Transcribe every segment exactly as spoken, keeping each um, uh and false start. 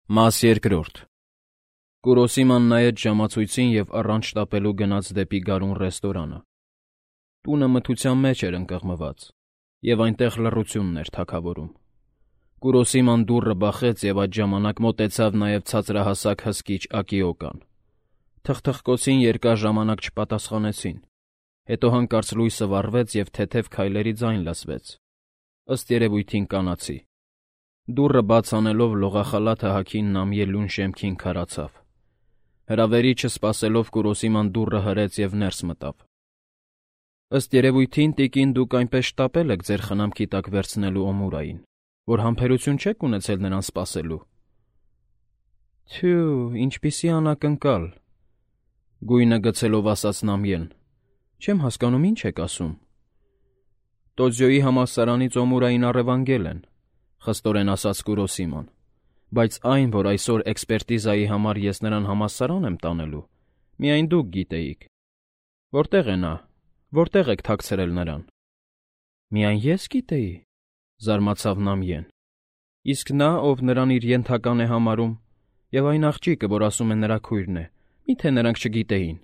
Մաս երկրորդ Կուրոսիման նայեց ժամացույցին և առանց շտապելու գնաց դեպի գարուն ռեստորանը։ Տունը մթության մեջ էր ընկղմված, և այնտեղ լռությունն էր թագավորում։ Կուրոսիման դուռը բախեց և այդ ժամանակ մոտեցավ նաև ցածրահասակ հսկիչ Ակիոկան։ Թխթխկոցին երկար ժամանակ չպատասխանեցին, հետո հանկարծ լույսը վառվեց և թեթև քայլերի ձայն լսվեց, ըստ երևույթին կանացի։ Դուռը բաց անելով լողախալաթը հագին Նամիե լուն շեմքին քարացավ։ Հրավերի չսպասելով Կուրոսիման դուռը հրեց և ներս մտավ։ Ըստ երևույթին, տիկին, դուք այնպես շտապել եք ձեր խնամքի տակ վերցնելու Օմուրային, որ համբերություն չեք ունեցել նրան սպասելու։ Թյու, ինչպիսի անակնկալ, գույնը գցելով ասաց Նամիեն, չեմ հասկանում, ինչ եք ասում։ Տոձյոյի համալսարանից Օմուրային առևանգել են, խստորեն ասաց Կուրոսիման, բայց այն, որ այսօր էքսպերտիզայի համար ես նրան համալսարան եմ տանելու, միայն դուք գիտեիք։ Որտե՞ղ է նա, որտե՞ղ եք թաքցրել նրան։ Միայն ես գիտեի, զարմացավ Նամիեն։ Իսկ նա, ով նրան իր ենթական է համարում, և այն աղջիկը, որ ասում է նրա քույրն է, մի՞թե նրանք չգիտեին,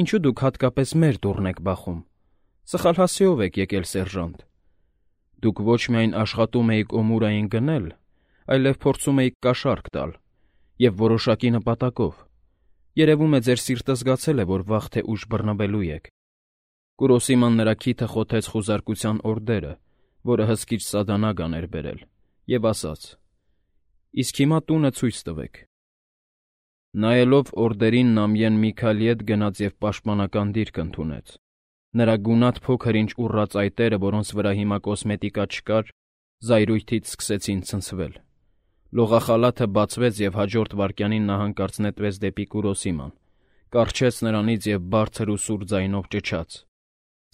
ինչու դուք հատկապես մեր դուռն եք բախում։ Սխալ հասցեով եք եկել, սերժանտ։ Դուք ոչ միայն աշխատում էիք Օմուրային գնել, այլև փորձում էիք կաշառք տալ, և որոշակի նպատակով։ Երևում է, ձեր սիրտը զգացել է, որ վաղ թե ուշ բռնվելու եք։ Կուրոսիման նրա քիթը խոթեց խուզարկության օրդերը, որը հսկիչ Սադանագան էր բերել, և ասաց. «Իսկ հիմա տունը ցույց տվեք»։ Նայելով օրդերին, Նամիեն մի քայլ ետ գնաց և պաշտպանական դիրք ընդունեց։ Նրա գունատ փոքր-ինչ ուռած այտերը, որոնց վրա հիմա կոսմետիկա չկար, զայրույթից սկսեցին ցնցվել։ Լողախալաթը բացվեց, և հաջորդ վայրկյանին նա հանկարծ նետվեց դեպի Կուրոսիման, կառչեց նրանից և բարձր ու սուր ձայնով ճչաց.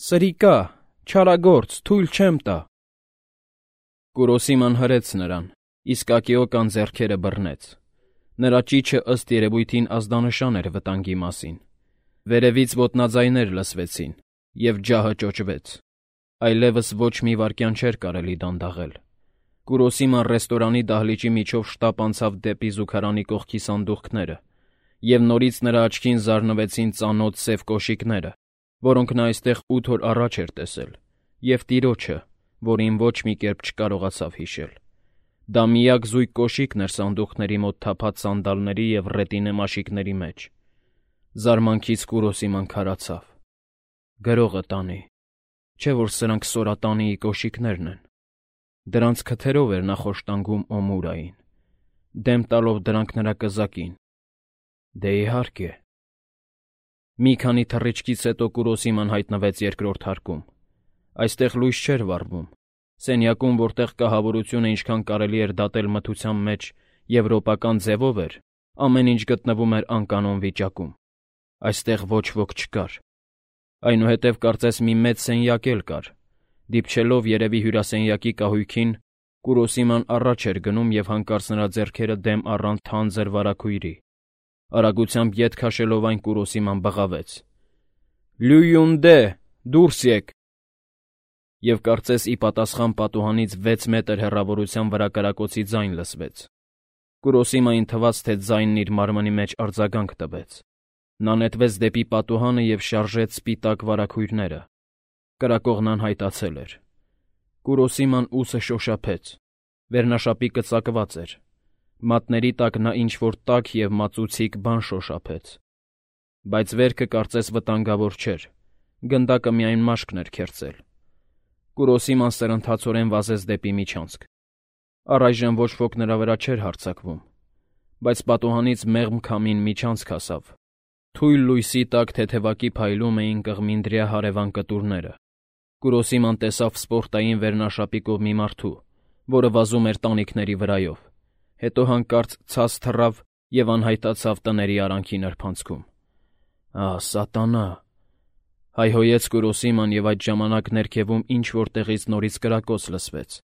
«Սրիկա, չարագործ, թույլ չեմ տա»։ Կուրոսիման հրեց նրան, իսկ Ակիոկան ձեռքերը բռնեց։ Նրա ճիչը ըստ երևույթին ազդանշան էր վտանգի մասին։ Վերևից ոտնաձայներ լսվեցին, և ջահը ճոճվեց։ Այլևս ոչ մի վայրկյան չէր կարելի դանդաղել։ Կուրոսիման ռեստորանի դահլիճի միջով շտապ անցավ դեպի զուգարանի կողքի սանդուղքները, և նորից նրա աչքին զարնվեցին ծանոթ սև կոշիկները, որոնք նա այստեղ ութ օր առաջ էր տեսել, և տիրոջը, որին ոչ մի կերպ չկարողացավ հիշել։ Դա միակ զույգ կոշիկն էր սանդուղքների մոտ թափած սանդալների և ռետինե մաշիկների մեջ։ Զարմանքից Կուրոսիման քարացավ։ Գրողը տանի, չէ՞ որ սրանք Սորատանիի կոշիկներն են։ Դրանց քթերով էր նա խոշտանգում Օմուրային, դեմ տալով դրանք նրա կզակին։ Դե իհարկե։ Մի քանի թռիչքից հետո Կուրոսիման հայտնվեց երկրորդ հարկում։ Այստեղ լույս չէր վառվում։ Սենյակում, որտեղ կահավորությունը ինչքան կարելի էր դատել մթության մեջ եվրոպական ձևով էր, ամեն ինչ գտնվում էր անկանոն վիճակում։ Այստեղ ոչ ոք չկար։ Այնուհետև կարծես մի մեծ սենյակ էլ կար։ Դիպչելով երևի հյուրասենյակի կահույքին, Կուրոսիման առաջ էր գնում և հանկարծ նրա ձեռքերը դեմ առան թանձր վարագույրի։ Արագությամբ ետ քաշելով այն, Կուրոսիման բղավեց. «Լյույունդե, դուրս եկ»։ Եվ կարծես ի պատասխան պատուհանից վեց մետր հեռավորության վրա կրակոցի ձայն լսվեց։ Կուրոսիմային թվաց, թե ձայնն իր մարմնի մեջ արձագանք տվեց։ Նա նետվեց դեպի պատուհանը և շարժեց սպիտակ վարագույրները։ Կրակողն անհայտացել էր։ Կուրոսիման ուսը շոշափեց։ Վերնաշապիկը ծակված էր։ Մատների տակ նա ինչ-որ տաք և մածուցիկ բան շոշափեց։ Բայց վերքը կարծես վտանգավոր չէր։ Գնդակը միայն մաշկն էր քերծել։ Կուրոսիման սրընթացորեն վազեց դեպի միջանցք։ Առայժմ ոչ ոք նրա վրա չէր հարձակվում, բայց պատուհանից մեղմ քամին միջանցք հասավ։ Թույլ լույսի տակ թեթևակի փայլում էին կղմինդրյա հարևան կտուրները։ Կուրոսիման տեսավ սպորտային վերնաշապիկով մի մարդու, որը վազում էր տանիքների վրայով, հետո հանկարծ ցած թռավ և անհայտացավ տների արանքի նրբանցքում։ «Ահ, սատանա», հայհոյեց Կուրոսիման, և այդ ժամանակ ներքևում ինչ-որ տեղից նորից կրակոց լսվեց։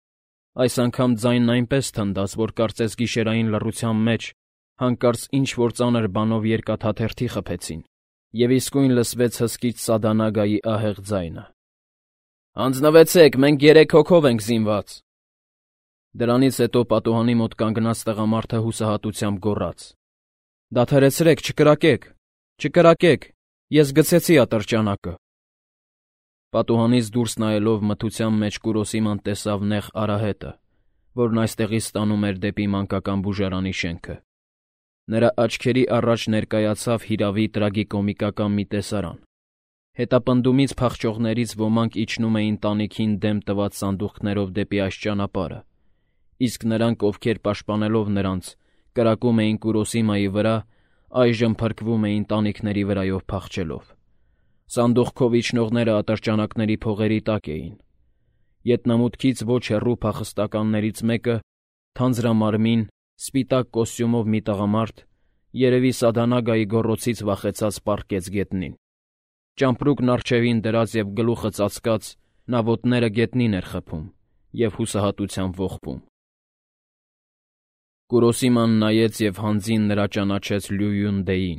Այս անգամ ձայնն այնպես թնդաց, որ կարծես գիշերային լռության մեջ հանկարծ ինչ-որ ծանր բանով երկաթաթերթի խփեցին, և իսկույն լսվեց հսկիչ Սադանագայի ահեղ ձայնը. «Հանձնվեցեք, մենք երեք հոգով ենք զինված»։ Դրանից հետո պատուհանի մոտ կանգնած տղամարդը հուսահատությամբ գոռաց. «Դադարեցրեք, չկրակեք, չկրակեք, ես գցեցի ատրճանակը»։ Պատուհանից դուրս նայելով մթության մեջ Կուրոսիման տեսավ նեղ արահետը, որն այստեղից տանում էր դեպի մանկական բուժարանի շենքը։ Նրա աչքերի առաջ ներկայացավ հիրավի տրագիկոմիկական մի տեսարան։ Հետապնդումից փախչողներից ոմանք իջնում էին տանիքին դեմ տված սանդուղքներով դեպի այս ճանապարհը, իսկ նրանք, ովքեր պաշտպանելով նրանց, կրակում էին Կուրոսիմայի վրա, այժմ փրկվում էին տանիքների վրայով փախչելով։ Սանդուղքով իջնողները ատրճանակների փողերի տակ էին։ Ետնամուտքից ոչ հեռու փախստականներից մեկը, թանձրամարմին, սպիտակ կոստյումով մի տղամարդ, երևի Սադանագայի գոռոցից վախեցած պառկեց գետնին։ Ճամպրուկն առջևին դրած և գլուխը ծածկած, նա ոտները գետնին էր խփում և հուսահատությամբ ողբում։ Կուրոսիման նայեց և հանձին նրա ճանաչեց Լյույուն Դեին։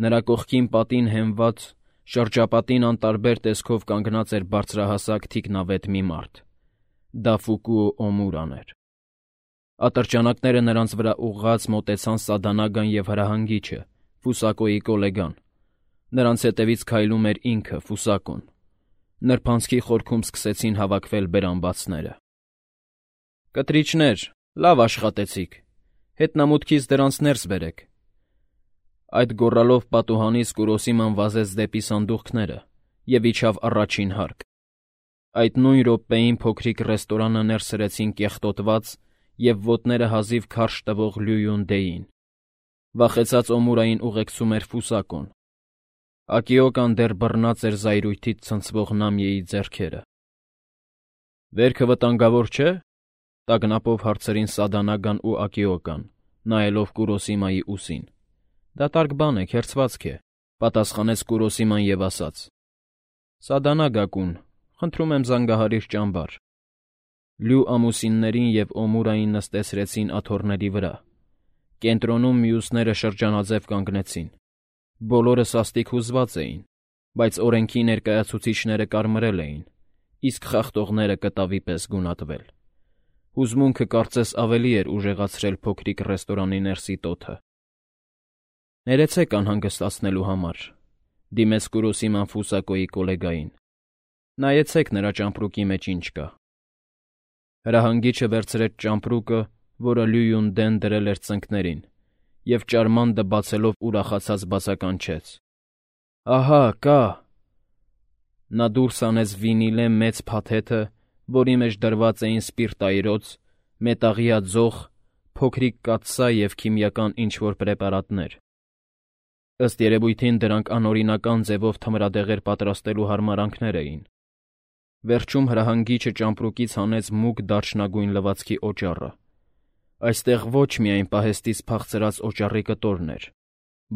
Նրա կողքին պատին հենված, շրջապատին անտարբեր տեսքով կանգնած էր բարձրահասակ թիկնավետ մի մարդ։ Դա Ֆուկուո Օմուրան էր։ Ատրճանակները նրանց վրա ուղղած մոտեցան Սադանագան և հրահանգիչը, Ֆուսակոյի կոլեգան։ Նրանց հետևից քայլում էր ինքը՝ Ֆուսակոն։ Նրբանցքի խորքում սկսեցին հավաքվել բերանբացները։ «Կտրիչներ, լավ աշխատեցիք, հետնամուտքից դրանց ներս բերեք»։ Այդ գոռալով պատուհանից Կուրոսիման վազեց դեպի սանդուղքները և իջավ առաջին հարկ։ Այդ նույն րոպեին փոքրիկ ռեստորանը ներս սրեցին կեղտոտված և ոտները հազիվ քարշ տվող Լյույուն Դեին։ Վախեցած Օմուրային ուղեկցում էր Ֆուսակոն։ Ակիոկան դեռ բռնած էր զայրույթից ցնցվող Նամիեի ձեռքերը։ «Վերքը վտանգավոր չէ՞», տագնապով հարցրին Սադանագան ու Ակիոկան, նայելով Կուրոսիմայի ուսին։ «Դատարկ բան է, քերծվածք է», պատասխանեց Կուրոսիման և ասաց. «Սադանագա֊կուն, խնդրում եմ զանգահարիր ճամբար»։ Լյու ամուսիններին և Օմուրային նստեցրեցին աթոռների վրա։ Կենտրոնում մյուսները շրջանաձև կանգնեցին։ Բոլորը սաստիկ հուզված էին, բայց օրենքի ներկայացուցիչները կարմրել էին, իսկ խախտողները կտավի պես գունատվել։ Հուզմունքը կարծես ավելի էր ուժեղացրել փոքրիկ ռեստորանի ներսի տոթը։ «Ներեցեք անհանգստացնելու համար», դիմեց Կուրոսիման Ֆուսակոյի կոլեգային։ «Նայեցեք նրա ճամպրուկի մեջ ինչ կա»։ Հրահանգիչը վերցրեց ճամպրուկը, որը Լյույուն Դեն դրել էր ծնկներին, և ճարմանքը բացելով ուրախացած բացականչեց. «Ահա, կա»։ Նա դուրս հանեց վինիլե մեծ փաթեթը, որի մեջ դրված էին սպիրտայրոց, մետաղյա ձող, փոքրիկ կաթսա և քիմիական ինչ-որ պրեպարատներ։ Ըստ երևույթին դրանք անօրինական ձևով թմրադեղեր պատրաստելու հարմարանքներ էին։ Վերջում հրահանգիչը ճամպրուկից հանեց մուգ դարչնագույն լվացքի օճառը։ Այստեղ ոչ միայն պահեստից փախցրած օճառի կտորն էր,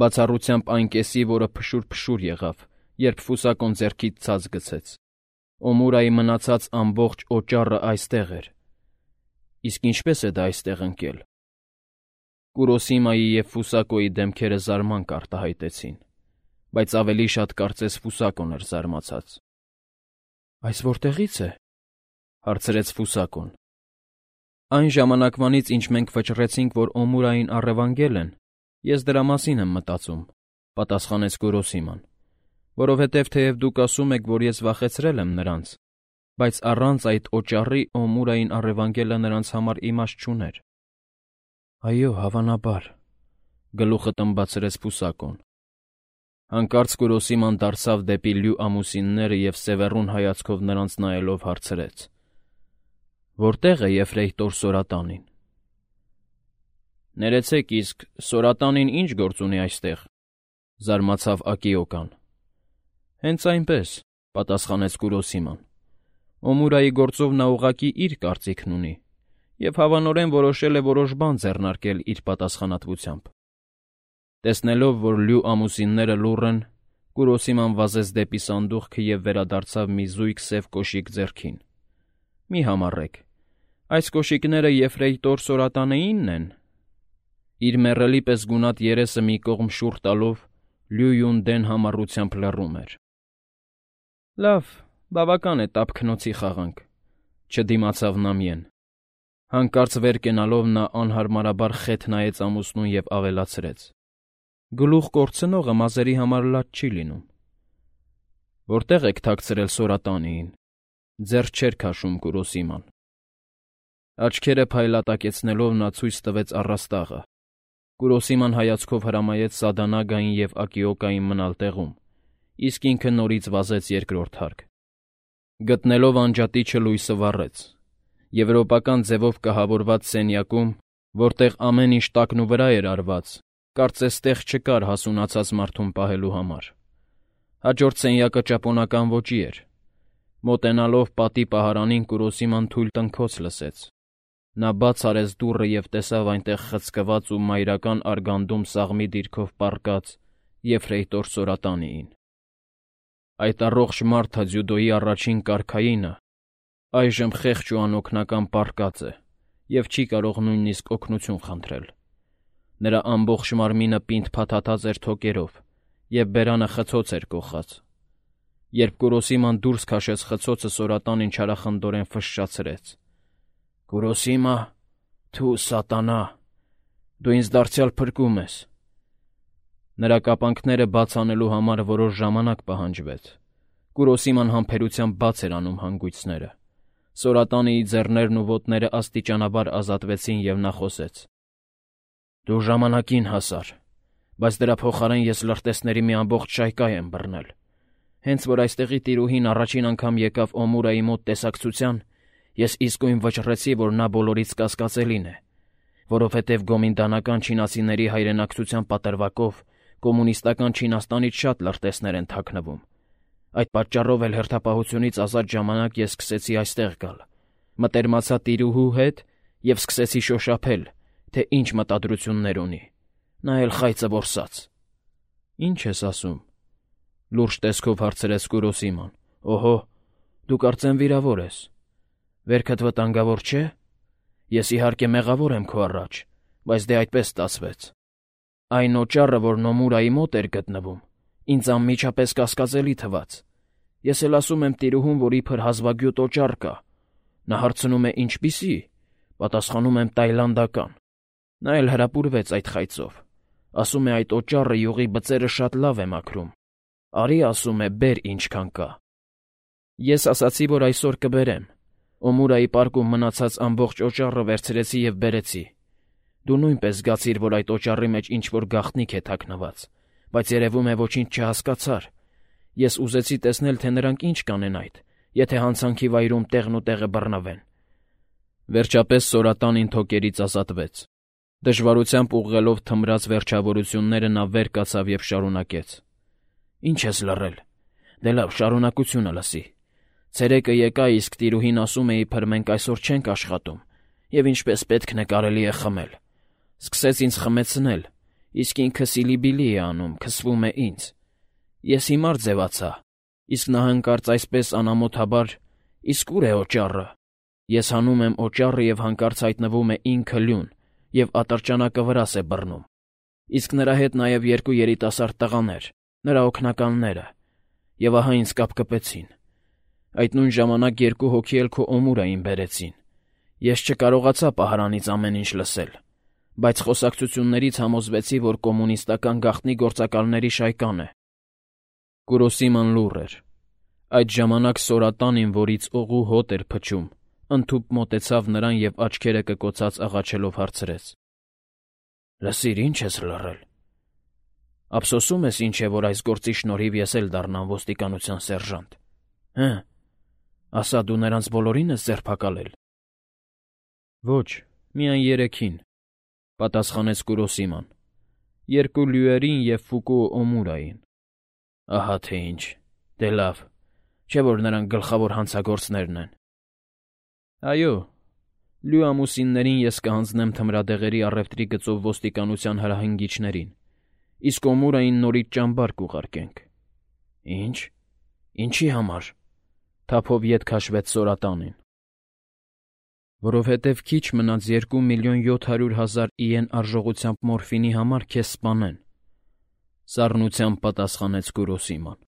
բացառությամբ այն կեսի, որը փշուր-փշուր եղավ, երբ Ֆուսակոն ձեռքից ցած գցեց։ Օմուրայի մնացած ամբողջ օճառը այստեղ էր։ Իսկ ինչպե՞ս է դա այստեղ ընկել։ Կուրոսիմայի և Ֆուսակոյի դեմքերը զարմանք արտահայտեցին, բայց ավելի շատ կարծես Ֆուսակոն էր զարմացած։ «Այս որտեղի՞ց է», հարցրեց Ֆուսակոն։ «Այն ժամանակվանից, ինչ մենք վճռեցինք, որ Օմուրային առևանգել են, ես դրա մասին եմ մտածում», պատասխանեց Կուրոսիման, «որովհետև թեև դուք ասում եք, որ ես վախեցրել եմ նրանց, բայց առանց այդ օճառի Օմուրային առևանգելը նրանց համար իմաստ չուներ»։ «Այո, հավանաբար», գլուխը տմբացրեց Ֆուսակոն։ Հանկարծ Կուրոսիման դարձավ դեպի Լյու ամուսինները և սևեռուն հայացքով նրանց նայելով հարցրեց. «Որտե՞ղ է Եֆրեյտոր Սորատանին»։ «Ներեցեք, իսկ Սորատանին ի՞նչ գործ ունի այստեղ», զարմացավ Ակիոկան։ «Հենց այնպես», պատասխանեց Կուրոսիման։ «Օմուրայի գործով նա ուղղակի իր կարծիքն ունի և հավանորեն որոշել է որոշ բան ձեռնարկել իր պատասխանատվությամբ»։ Տեսնելով, որ Լյու ամուսինները լուռ են, Կուրոսիման վազեց դեպի սանդուղքը և վերադարձավ մի զույգ սև կոշիկ ձեռքին։ «Մի համառեք, այս կոշիկները Եֆրեյտոր Սորատանեինն են»։ Իր մեռելի պես գունատ երեսը մի կողմ շուռ տալով՝ Լյույուն Դեն համառությամբ լռում էր։ «Լավ, բավական է տափկնոցի խաղանք», չդիմացավ Նամիեն։ Հանկարծ վեր կենալով նա անհարմարաբար խեթ նայեց ամուսնուն և ավելացրեց. «Գլուխ կորցնողը մազերի համար լաց չի լինում»։ Որտե՞ղ եք թաքցրել Սորատանիին,֊ ձեռք չէր քաշում Կուրոսիման։ Աչքերը փայլատակեցնելով նա ցույց տվեց առաստաղը։ Կուրոսիման հայացքով հրամայեց Սադանագային և Ակիոկային մնալ տեղում, իսկ ինքը նորից վազեց երկրորդ հարկ։ Գտնելով անջատիչը լույսը վառեց։ Եվրոպական ձևով կահավորված սենյակում, որտեղ ամեն ինչ տակնուվրա էր արված, կարծես տեղ չկար հասունացած մարդուն պահելու համար։ Հաջորդ սենյակը ճապոնական ոճի էր։ Մոտենալով պատի պահարանին Կուրոսիման թույլ տնքոց լսեց։ Նա բաց արեց դուռը և տեսավ այնտեղ խցկված ու մայրական արգանդում սաղմի դիրքով պառկած եֆրեյտոր Սորատանիին։ Այդ առողջ մարդը ձյուդոյի առաջին կարգայինը այժմ խեղճ ու անօգնական պառկած է և չի կարող նույնիսկ օգնություն խնդրել։ Նրա ամբողջ մարմինը պինդ փաթաթած էր թոկերով, և բերանը խցոց էր կոխած։ Երբ Կուրոսիման դուրս քաշեց խցոցը, Սորատանին չարախնդորեն ֆշշացրեց. «Կուրոսիմա, թու սատանա, դու ինձ դարձյալ փրկում ես»։ Նրա կապանքները բաց անելու համար որոշ ժամանակ պահանջվեց։ Կուրոսիման համբերությամբ բաց էր անում հանգույցները։ Սորատանիի ձեռներն ու ոտները աստիճանաբար ազատվեցին, և նա խոսեց. «Դու ժամանակին հասար, բայց դրա փոխարեն ես լրտեսների մի ամբողջ շայկա եմ բռնել։ Հենց որ այստեղի տիրուհին առաջին անգամ եկավ Օմուրայի մոտ տեսակցության, ես իսկույն վճռեցի, որ նա բոլորից կասկածելին է, որովհետև գոմինդանական չինացիների հայրենակցության պատրվակով կոմունիստական Չինաստանից շատ լրտեսներ են թաքնվում։ Այդ պատճառով էլ հերթապահությունից ազատ ժամանակ ես սկսեցի այստեղ գալ, մտերմացա տիրուհու հետ և սկսեցի շոշափել, թե ինչ մտադրություններ ունի։ Նա էլ խայծը որսաց»։ «Ի՞նչ ես ասում,֊ լուրջ տեսքով հարցրեց Կուրոսիման։ «Օհո, դու կարծեմ վիրավոր ես։ Վերքդ վտանգավոր չէ՞։ Ես իհարկե մեղավոր եմ քո առաջ, բայց դե այդպես ստացվեց։ Այն օճառը, որն Օմուրայի մոտ էր գտնվում, ինձ անմիջապես կասկածելի թվաց։ Ես էլ ասում եմ տիրուհուն, որ իբր հազվագյուտ օճառ կա։ Նա հարցնում է՝ ինչպիսի՞։ Պատասխանում եմ՝ տայլանդական։ Նա էլ հրապուրվեց այդ խայծով։ Ասում է՝ այդ օճառը յուղի բծերը շատ լավ է մաքրում։ Արի, ասում է, բեր ինչքան կա։ Ես ասացի, որ այսօր կբերեմ։ Օմուրայի պարկում մնացած ամբողջ օճառը վերցրեցի և բերեցի։ Դու նույնպես զգացիր, որ այդ օճառի մեջ ինչ-որ գաղտնիք է թաքնված, բայց երևում է ոչինչ չհասկացար։ Ես ուզեցի տեսնել, թե նրանք ինչ կանեն այդ, եթե հանցանքի վայրում տեղն ու տեղը բռնվեն»։ Վերջապես Սորատանին թոկերից ազատվեց։ Դժվարությամբ ուղղելով թմրած վերջավորությունները նա վեր կացավ և շարունակեց. «Ինչ ես լռել։ Դե լավ, շարունակությունը լսի։ Ցերեկը եկա, իսկ տիրուհին ասում է, իբր մենք այսօր չենք աշխատում, և ինչպես պետքն է կարելի է խմել։ Սկսեց ինձ խմեցնել, իսկ ինքը սիլիբիլի է անում, քսվում է ինձ։ Ես հիմար ձևացա, իսկ նա հանկարծ այսպես անամոթաբար. «Իսկ ուր է օճառը»։ Ես հանում եմ օճառը, և հանկարծ հայտնվում է ինքը լյուն և ատրճանակը վրաս է բռնում։ Իսկ նրա հետ նաև երկու երիտասարդ տղաներ, նրա օգնականները, և ահա ինձ կապկպեցին։ Այդ նույն ժամանակ երկու հոգի էլ քո Օմուրային բերեցին։ Ես չկարողացա պահարանից ամեն ինչ լսել, բայց խոսակցություններից համոզվեցի, որ կոմունիստական գաղտնի գործակալների շայկան է»։ Կուրոսիման լուռ էր։ Այդ ժամանակ Սորատանին, որից օղու հոտ էր փչում, ընդհուպ մոտեցավ նրան և աչքերը կկոցած աղաչելով հարցրեց. «Լսիր, ի՞նչ ես լռել։ Ափսոսում ես ինչ է, որ այս գործի շնորհիվ ես էլ դառնամ ոստիկանության սերժանտ։ Հը՞, ասա, դու նրանց բոլորին ես ձերբակալել»։ «Ոչ, միայն երեքին», պատասխանեց Կուրոսիման. «երկու լյուերին և Ֆուկուո Օմուրային»։ «Ահա թե ինչ, դե լավ, չէ՞ որ նրանք գլխավոր հանցագործներն են»։ «Այո, լյու ամուսիններին ես կհանձնեմ թմրադեղերի առևտրի գծով ոստիկանության հրահանգիչներին, իսկ Օմուրային նորից ճամբար կուղարկենք»։ «Ի՞նչ, ինչի համար», թափով ետ քաշվեց Սորատանին։ «Որովհետև քիչ մնաց երկու միլիոն յոթ հարյուր հազար իեն արժողությամբ մորֆինի համար քեզ սպանեն», սառնությամբ պատասխանեց Կուրոսիման։